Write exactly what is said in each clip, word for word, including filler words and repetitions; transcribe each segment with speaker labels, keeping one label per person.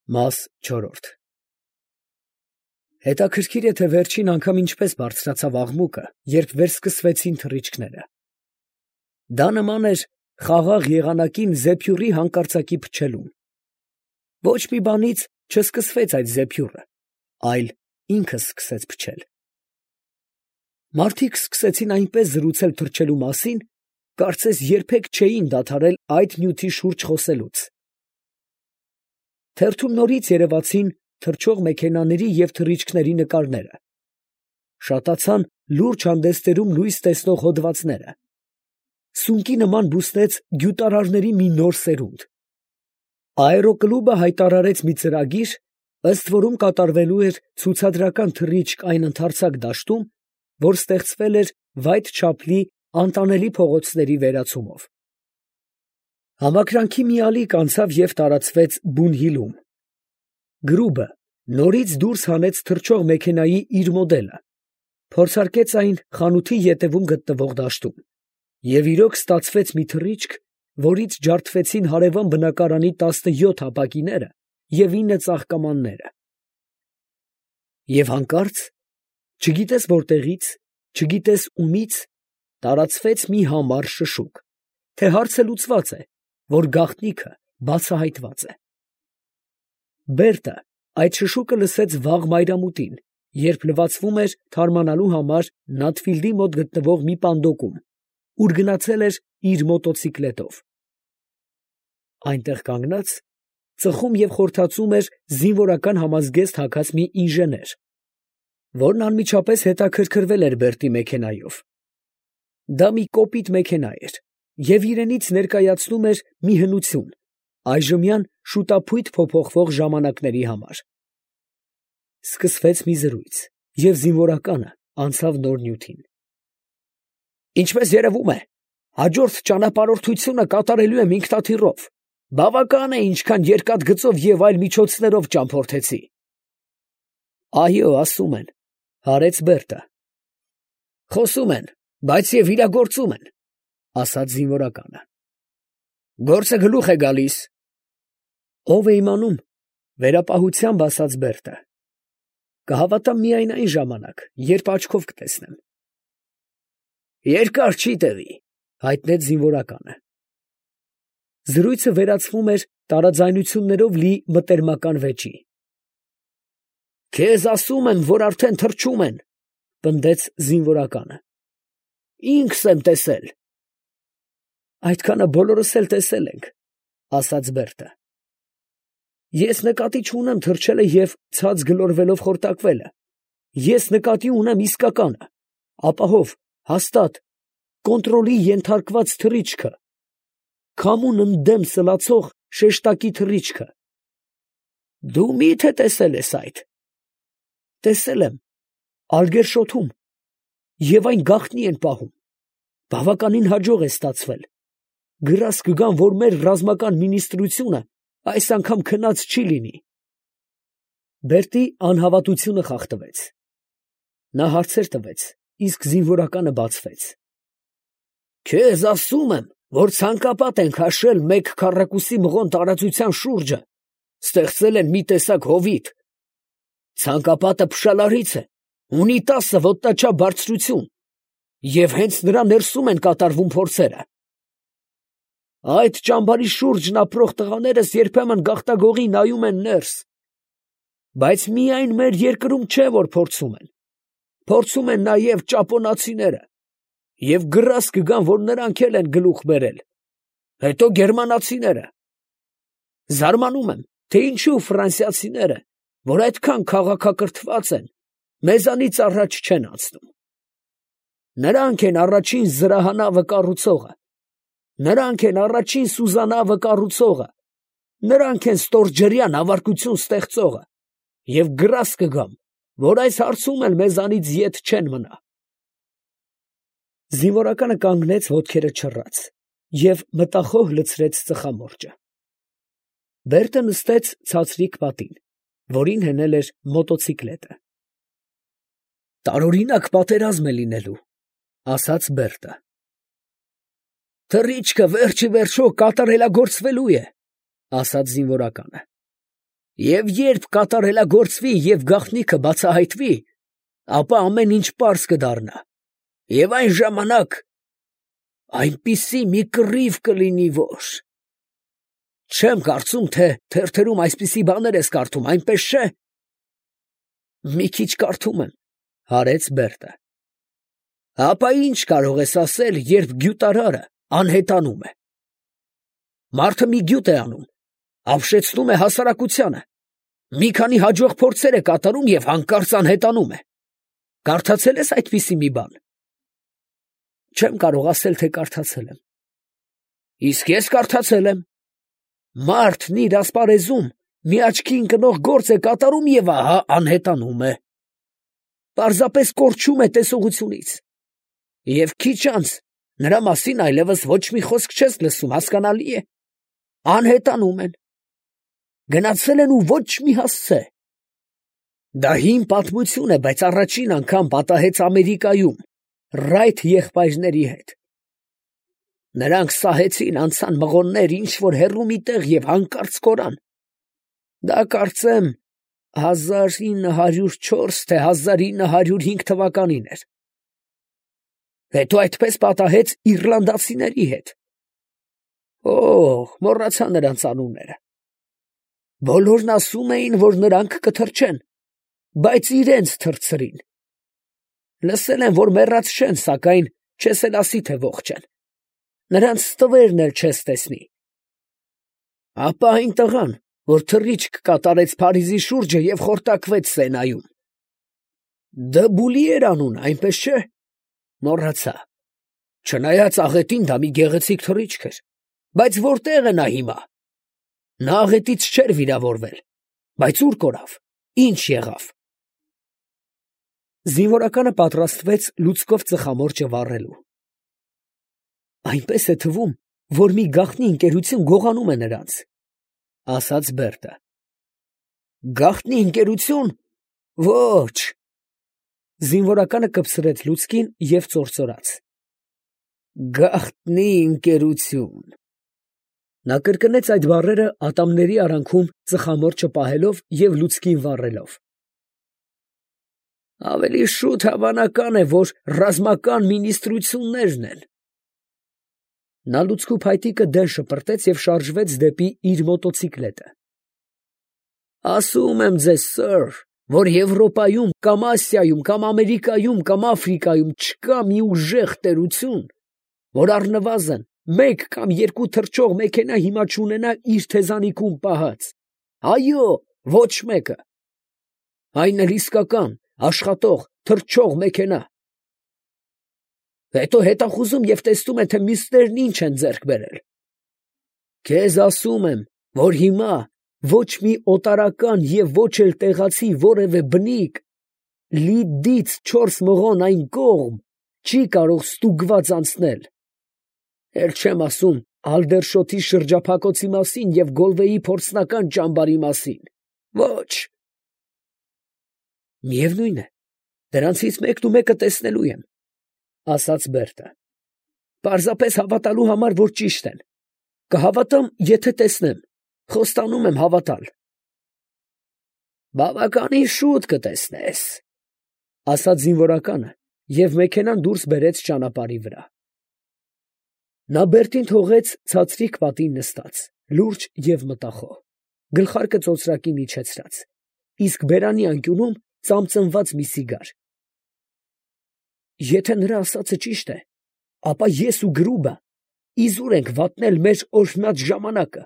Speaker 1: Մաս չորրորդ Հետաքրքիր է, թե վերջին անգամ ինչպես բարձրացավ աղմուկը, երբ վերսկսվեցին թռիչքները. դա նման էր խաղաղ եղանակին զեփյուռի հանկարծակի փչելուն. ոչ մի բանից չսկսվեց այդ զեփյուռը, այլ ինքը սկսեց փչել. մարդիկ սկսեցին այնպես զրուցել թռչելու մասին, կարծես երբեք չէին դադարել այդ նյութի շուրջ խոսելուց. թերթում նորից երևացին թռչող մեքենաների և թռիչքների նկարները, շատացան լուրջ հանդեսներում լույս տեսնող հոդվածները, սունկի նման բուսնեց գյուտարարների մի նոր սերունդ. Աերոկլուբը հայտարարեց մի ծրագիր, ըստ որում կատարվելու էր ցուցադրական թռիչք այն ընդարձակ դաշտում, որ ստեղծվել էր Վայթ Չապլի անտանելի փողոցների վերացումով. Համակրանքի մի ալիք անցավ և տարածվեց Բուն֊Հիլում. գրուբը նորից դուրս հանեց թռչող մեքենայի իր մոդելը, փորձարկեց այն խանութի ետևում գտնվող դաշտում, և իրոք ստացվեց մի թռիչք, որից ջարդվեցին հարևան բնակարանի տասնյոթ ապակիները և ինը ծաղկամանները. և հանկարծ, չգիտես որտեղից, չգիտես ումից, տարածվեց մի համառ շշուկ, թե հարցը լուծված է, որ գաղտնիքը բացահայտված է. Բերտը այդ շշուկը լսեց վաղ մայրամուտին, երբ լվացվում էր թարմանալու համար Նաթֆիլդի մոտ գտնվող մի պանդոկում, ուր գնացել էր իր մոտոցիկլետով. այնտեղ կանգնած, ծխում և խորթացում էր զինվորական համազգեստ հագած մի ինժեներ, որն անմիջապես հետաքրքրվել էր Բերտի մեքենայով. դա մի կոպիտ մեքենա էր և իրենից ներկայացնում էր մի հնություն այժմյան շուտափույթ փոփոխվող ժամանակների համար. Սկսվեց մի զրույց, և զինվորականը անցավ նոր նյութին. Ինչպես երևում է, հաջորդ ճանապարհորդությունը կատարելու եմ ինքնաթիռով, բավական է, ինչքան երկաթգծով և այլ միջոցներով ճամփորդեցի։ Այո, ասում են, հարեց Բերտը։ Խոսում են, բայց և իրագործում են, ասաց զինվորականը։ Գործը գլուխ է գալիս։ Ով է իմանում, վերապահությամբ ասաց Բերտը։ Կհավատամ միայն այն ժամանակ, երբ աչքով կտեսնեմ։ Երկար չի տևի, հայտնեց զինվորականը։ Զրույցը վերածվում էր տարաձայնություններով լի մտերմական վեճի։ Քեզ ասում եմ, որ արդեն թռչում են, պնդեց զինվորականը։ Ինքս եմ տեսել։ Այդքանը բոլորս էլ տեսել ենք, ասաց Բերտը։ Ես նկատի չունեմ թռչելը և ցած գլորվելով խորտակվելը, ես նկատի ունեմ իսկականը, ապահով, հաստատ, կոնտրոլի ենթարկված թռիչքը, քամուն ընդդեմ սլացող շեշտակի թռիչքը։ Դու մի՞թե տեսել ես այդ։ Տեսել եմ, Ալգերշոթում, և այն գաղտնի են պահում, բավականին հաջող է ստացվել, գրազ կգան, որ մեր ռազմական մինիստրությունը այս անգամ քնած չի լինի։ Բերտի անհավատությունը խախտվեց. նա հարցեր տվեց, իսկ զինվորականը բացվեց։ Քեզ ասում եմ, որ ցանկապատ են քաշել մեկ քառակուսի մղոն տարածության շուրջը, ստեղծել են մի տեսակ հովիտ։ Ցանկապատը փշալարից է, ունի տասը ոտնաչափ բարձրություն, և հենց նրա ներսում են կատարվում փորձերը։ Այդ ճամբարի շուրջն ապրող տղաներս երբեմն գաղտագողի նայում են ներս, բայց միայն մեր երկրում չէ, որ փորձում են, փորձում են նաև ճապոնացիները, և գրազ կգան, որ նրանք էլ են գլուխ բերել, հետո գերմանացիները։ Զարմանում եմ, թե ինչու ֆրանսիացիները, որ այդքան քաղաքակրթված են, մեզանից առաջ չեն անցնում։ Նրանք են առաջին զրահանավը կառուցողը, նրանք են առաջին սուզանավը կառուցողը, նրանք են ստորջրյա նավարկություն ստեղծողը, և գրազ կգամ, որ այս հարցում էլ մեզանից ետ չեն մնա։ Զինվորականը կանգնեց ոտքերը չռած և մտախոհ լցրեց ծխամորճը։ Բերտը նստեց ցածրիկ պատին, որին հենել էր մոտոցիկլետը։ Տարօրինակ պատերազմ է լինելու, ասաց Բերտը։ Թռիչքը վերջ ի վերջո կատարելագործվելու է, ասաց զինվորականը։ Եվ երբ կատարելագործվի և գաղտնիքը բացահայտվի, ապա ամեն ինչ պարզ կդառնա, և այն ժամանակ այնպիսի մի կռիվ կլինի, որ… Չեմ կարծում, թե թերթերում այսպիսի բաներ ես կարդում, այնպես չէ՞։ Մի քիչ կարդում եմ, ֊ հարեց Բերտը։ Ապա ի՞նչ կարող ես ասել, երբ գյուտարարը անհետանում է։ Մարդը մի գյուտ է անում, ապշեցնում է հասարակությանը, մի քանի հաջող փորձեր է կատարում և հանկարծ անհետանում է։ Կարդացե՞լ ես այդպիսի մի բան։ Չեմ կարող ասել, թե կարդացել եմ։ Իսկ ես կարդացել եմ։ Մարդն իր ասպարեզում մի աչքի ընկնող գործ է կատարում և ահա անհետանում է։ Պարզապես կորչում է տեսողությունից։ Եվ քիչ անց նրա մասին այլևս ոչ մի խոսք չես լսում, հասկանալի է։ Անհետանում են։ Գնացել են ու ոչ մի հասցե։ Դա հին պատմություն է, բայց առաջին անգամ պատահեց Ամերիկայում Ռայթ եղբայրների հետ։ Նրանք սահեցին, անցան մղոններ ինչ֊որ հեռու մի տեղ և հանկարծ կորան։ Դա կարծեմ հազար ինը հարյուր չորս, թե հազար ինը հարյուր հինգ թվականին էր։ Հետո այդպես պատահեց իռլանդացիների հետ։ Օհ, մոռացա նրանց անունները։ Բոլորն ասում էին, որ նրանք կթռչեն, բայց իրենց թռցրին։ Լսել եմ, որ մեռած չեն, սակայն չես էլ ասի, թե ողջ են։ Նրանց ստվերն էլ չես տեսնի։ Ապա այն տղան, որ թռիչք կատարեց Փարիզի շուրջը և խորտակվեց Սենայում։ Դբուլի էր անունը, այնպես չէ՞։ Մոռացա։ Չնայած աղետին դա մի գեղեցիկ թռիչք էր, բայց որտե՞ղ է նա հիմա։ Նա աղետից չէր վիրավորվել, բայց ուր կորավ, ի՞նչ եղավ։ Զինվորականը պատրաստվեց լուցկով ծխամորճը վառելու։ Այնպես է թվում, որ մի գաղտնի ընկերություն գողանում է նրանց, ֊ ասաց Բերտը։ Գաղտնի ընկերություն… Ոչ… Զինվորականը կպցրեց լուցկին և ծործորաց։ Գաղտնի ընկերություն… Նա կրկնեց այդ բառերը ատամների արանքում ծխամորճը պահելով և լուցկին վառելով։ Ավելի շուտ հավանական է, որ ռազմական մինիստրություններն են։ Նա լուցկու փայտիկը դեն շպրտեց և շարժվեց դեպի իր մոտոցիկլետը։ Ասում եմ ձեզ, սըր, որ Եվրոպայում կամ Ասիայում կամ Ամերիկայում կամ Աֆրիկայում չկա մի ուժեղ տերություն, որ առնվազն մեկ կամ երկու թռչող մեքենա հիմա չունենա իր թեզանիքում պահած։ Այո, ոչ մեկը։ Այն էլ իսկական, աշխատող, թռչող մեքենա։ Հետո հետախուզում և տեսնում է, թե մյուսներն ինչ են ձեռք բերել։ Քեզ ասում եմ, որ հիմա ոչ մի օտարական և ոչ էլ տեղացի որևէ բնիկ Լիդից չորս մղոն այն կողմ չի կարող ստուգված անցնել։ Էլ չեմ ասում Ալդերշոտի շրջափակոցի մասին և Գոլվեի փորձնական ճամբարի մասին։ Ոչ… Միևնույն է, դրանցից մեկն ու մեկը տեսնելու եմ, ֊ ասաց Բերտը։ Պարզապես հավատալու համար, որ ճիշտ են։ Կհավատամ, եթե տեսնեմ, խոստանում եմ հավատալ։ Բավականին շուտ կտեսնես, ֊ ասաց զինվորականը և մեքենան դուրս բերեց ճանապարհի վրա։ Նա Բերտին թողեց ցածրիկ պատին նստած, լուրջ և մտախոհ, գլխարկը ծոծրակին իջեցրած, իսկ բերանի անկյունում ծամծմված մի սիգար։ Եթե նրա ասածը ճիշտ է, ապա ես ու գրուբը իզուր ենք վատնել մեր օրհնած ժամանակը,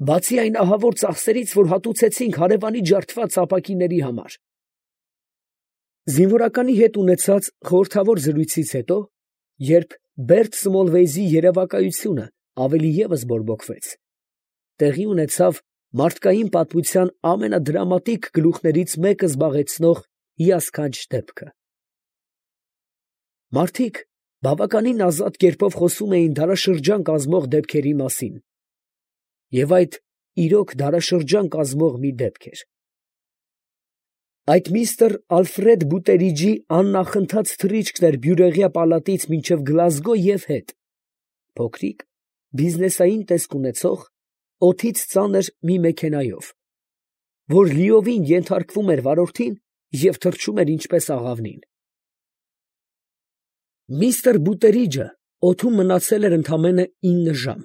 Speaker 1: բացի այն ահավոր ծախսերից, որ հատուցեցինք հարևանի ջարդված ապակիների համար։ Զինվորականի հետ ունեցած խորհրդավոր զրույցից հետո, երբ Բերտ Սմոլվեյզի երևակայությունը ավելի ևս բորբոքվեց, տեղի ունեցավ մարդկային պատմության ամենադրամատիկ գլուխներից մեկը զբաղեցնող հիասքանչ դեպքը։ Մարդիկ բավականին ազատ կերպով խոսում էին դարաշրջան կազմող դեպքերի մասին, և այդ իրոք դարաշրջան կազմող մի դեպք էր։ Այդ միստր Ալֆրեդ Բուտերիջի աննախընթաց թռիչքն էր Բյուրեղյա պալատից մինչև Գլազգո և հետ, փոքրիկ, բիզնեսային տեսք ունեցող, օդից ծանր մի մեքենայով, որ լիովին ենթարկվում էր վարորդին և թռչում էր ինչպես աղավնին։ Միստր Բուտերիջը օդում մնացել էր ընդամենը ինը ժամ,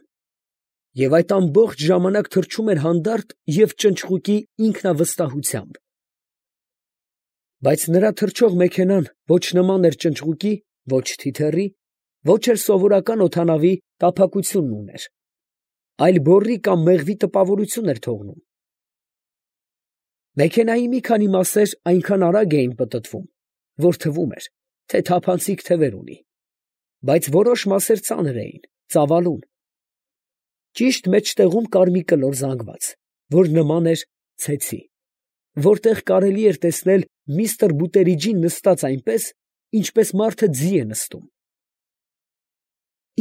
Speaker 1: և այդ ամբողջ ժամանակ թռչում էր հանդարտ և ճնճղուկի ինքնավստահությամբ։ Բայց նրա թռչող մեքենան ոչ նման էր ճնճղուկի, ոչ թիթեռի, ոչ էլ սովորական օդանավի տափակությունն ուներ, այլ բոռի կամ մեղվի տպավորություն էր թողնում։ Մեքենայի մի քանի մասեր այնքան արագ էին պտտվում, որ թվում էր, թե թափանցիկ թևեր ունի, բայց որոշ մասեր ծանր էին, ծավալուն։ Ճիշտ մեջտեղում կար մի կլոր զանգված, որ նման էր ցեցի, որտեղ կարելի էր տեսնել միստր Բուտերիջին նստած այնպես, ինչպես մարդը ձի է նստում։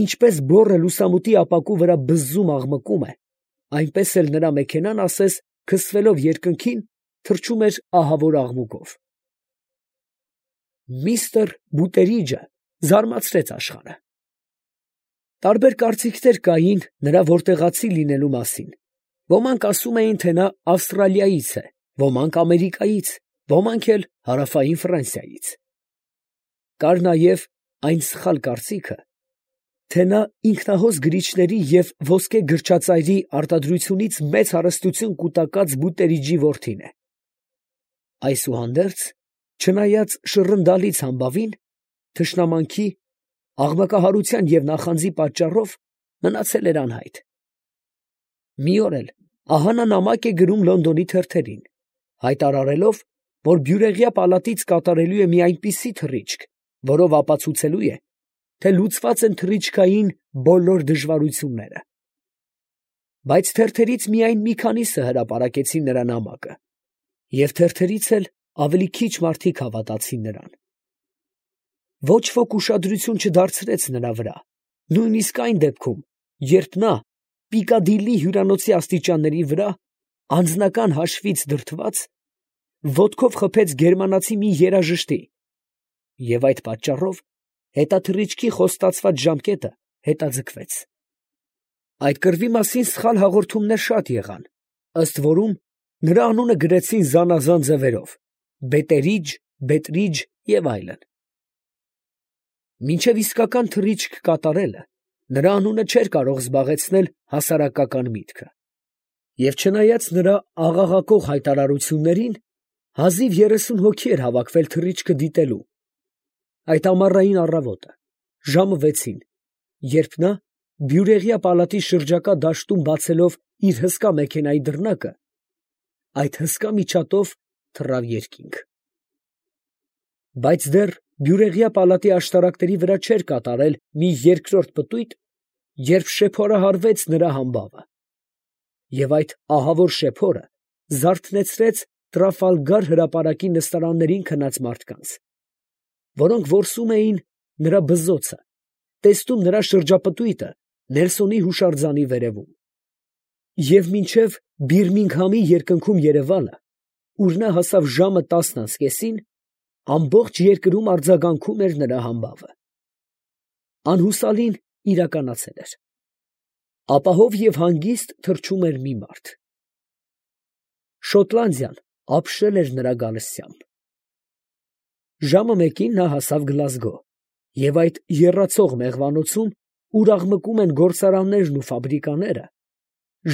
Speaker 1: Ինչպես բոռը լուսամուտի ապակու վրա բզզում աղմկում է, այնպես էլ նրա մեքենան ասես քսվելով երկնքին, թռչում էր ահավոր աղմուկով։ Միստր Բուտերիջը զարմացրեց աշխարհը։ Տարբեր կարծիքներ կային նրա որտեղացի լինելու մասին. ոմանք ասում էին, թե նա Ավստրալիայից է, ոմանք Ամերիկայից, ոմանք էլ հարավային Ֆրանսիայից։ Կար նաև այն սխալ կարծիքը, թե նա ինքնահոս գրիչների և ոսկե գրչածայրի արտադրությունից մեծ հարստություն կուտակած Բուտերիջի որդին է։ Այսուհանդերձ, չնայած շռնդալից համբավին, թշնամանքի, աղմկահարության և նախանձի պատճառով մնացել էր անհայտ։ Մի օր էլ ահա նա նամակ է գրում Լոնդոնի թերթերին, հայտարարելով, որ Բյուրեղյա պալատից կատարելու է մի այնպիսի թռիչք, որով ապացուցելու է, թե լուծված են թռիչքային բոլոր դժվարությունները։ Բայց թերթերից միայն մի քանիսը հրապարակեցին նրա նամակը, և թերթերից էլ ավելի քիչ մարդիկ հավատացին նրան։ Ոչ ոք ուշադրություն չդարձրեց նրա վրա, նույնիսկ այն դեպքում, երբ նա Պիկադիլլի հյուրանոցի աստիճանների վրա, անձնական հաշվից դրդված, ոտքով խփեց գերմանացի մի երաժշտի, և այդ պատճառով հետաթռիչքի խոստացված ժամկետը հետաձգվեց։ Այդ կռվի մասին սխալ հաղորդումներ շատ եղան, ըստ որում նրա անունը գրեցին զանազան ձևերով՝ Բետերիջ, Բետրիջ և այլն։ Մինչև իսկական թռիչք կատարելը նրա անունը չէր կարող զբաղեցնել հասարակական միտքը, և չնայած նրա աղաղակող հայտարարություններին, հազիվ երեսուն հոգի էր հավաքվել թռիչքը դիտելու։ Այդ ամառային առավոտը, ժամը վեցին, երբ նա Բյուրեղյա պալատի շրջակա դաշտում բացելով իր հսկա մեքենայի դռնակը, այդ հսկա միջատով թռավ երկինք։ Բայց դեռ Բյուրեղյա պալատի աշտարակների վրա չէր կատարել մի երկրորդ պտույտ, երբ շեփորահարվեց նրա համբավը, և այդ ահավոր շեփորը զարթնեցրեց Տրաֆալգար հրապարակի նստարաններին քնած մարդկանց, որոնք որսում էին նրա բզզոցը, տեսնում նրա շրջապտույտը Նելսոնի հուշարձանի վերևում։ Եվ մինչև Բիրմինգհամի երկնքում երևալը, ուր նա հասավ ժամը տասն անց կեսին, ամբողջ երկրում արձագանքում էր նրա համբավը։ Անհուսալին իրականացել էր։ Ապահով և հանգիստ թռչում էր մի մարդ։ Շոտլանդիան ապշել էր նրա գալստյամբ։ Ժամը մեկին նա հասավ Գլազգո, և այդ եռացող մեղվանոցում, ուր աղմկում են գործարաններն ու ֆաբրիկաները,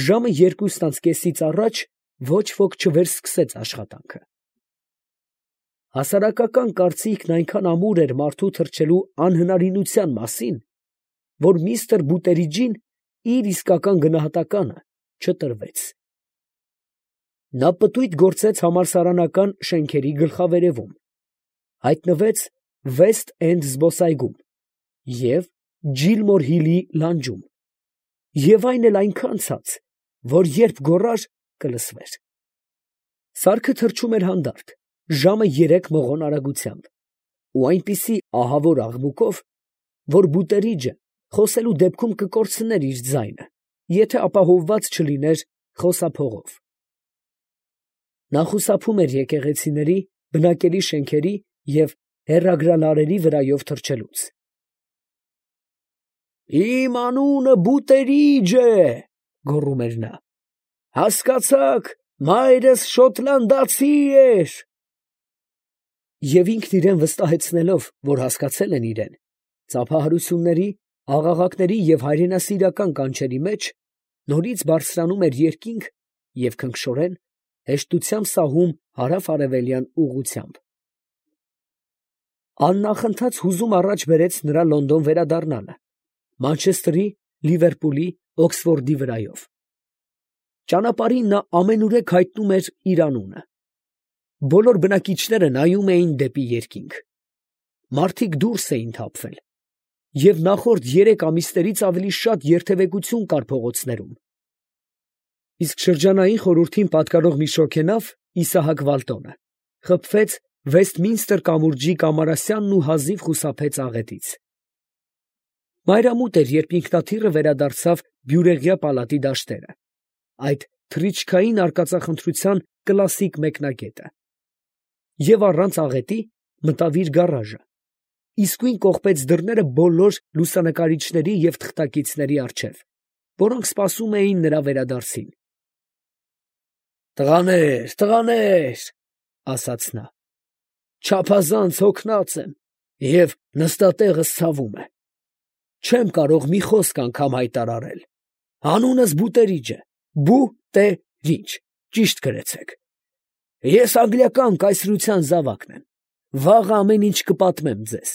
Speaker 1: ժամը երկուսն անց կեսից առաջ ոչ ոք չվերսկսեց աշխատանքը։ Հասարակական կարծիքն այնքան ամուր էր մարդու թռչելու անհնարինության մասին, որ միստր Բուտերիջին իր իսկական գնահատականը չտրվեց։ Նա պտույտ գործեց համալսարանական շենքերի գլխավերևում, հայտնվեց Վեսթ Էնդ զբոսայգում և Ջիլմոր Հիլի լանջում, և այն էլ այնքան ցած, որ երբ գոռար, կլսվեր։ Սարքը թռչում էր հանդարտ, ժամը երեք մղոն արագությամբ, ու այնպիսի ահավոր աղմուկով, որ Բուտերիջը խոսելու դեպքում կկորցներ իր ձայնը, եթե ապահովված չլիներ խոսափողով։ Նա խուսափում էր եկեղեցիների, բնակելի շենքերի և հեռագրալարերի վրայով թռչելուց։ «Իմ անունը Բուտերիջ է, ֊ գոռում էր նա, ֊ հասկացա՞ք, Մայրս շոտլանդացի էր։ Եվ ինքն իրան վստահեցնելով, որ հասկացել են իրեն, ծափահարությունների, աղաղակների և հայրենասիրական կանչերի մեջ, նորից բարձրանում էր երկինք և քնքշորեն, հեշտությամբ սահում հարավ֊արևելյան ուղղությամբ։ Աննախընթաց հուզում առաջ բերեց նրա Լոնդոն վերադառնալը, Մանչեսթերի, Լիվերպուլի, Օքսֆորդի վրայով։ Ճանապարհին նա ամենուրեք հայտնում էր իր անունը։ Բոլոր բնակիչները նայում էին դեպի երկինք։ Մարդիկ դուրս էին թափվել, և նախորդ երեք ամիսներից ավելի շատ երթևեկություն կար փողոցներում։ Իսկ շրջանային խորհրդին պատկարող մի շոգենավ, Իսահակ Վալտոնը, խփվեց Վեսթմինստր կամուրջի Կամարասյանն ու հազիվ խուսափեց աղետից։ Մայրամուտ էր, երբ ինքնաթիռը վերադարձավ Բյուրեղյա պալատի դաշտերը, այդ թռիչքային արկածախնդրության կլասիկ մեկնագետը, և առանց աղետի մտավ իր գարաժը, իսկույն կողպեց դռները բոլոր լուսանկարիչների և թղթակիցների առջև, որոնք սպասում էին նրա վերադարձին։ «Տղաներ, տղաներ, ֊ ասաց նա, ֊ չափազանց հոգնած եմ և նստատեղս ցավում է. չեմ կարող մի խոսք անգամ հայտարարել. անունս Բուտերիջ է, Բու֊տե-ռիջ, ճիշտ գրեցեք. ես անգլիական կայսրության զավակն եմ, վաղը ամեն ինչ կպատմեմ ձեզ։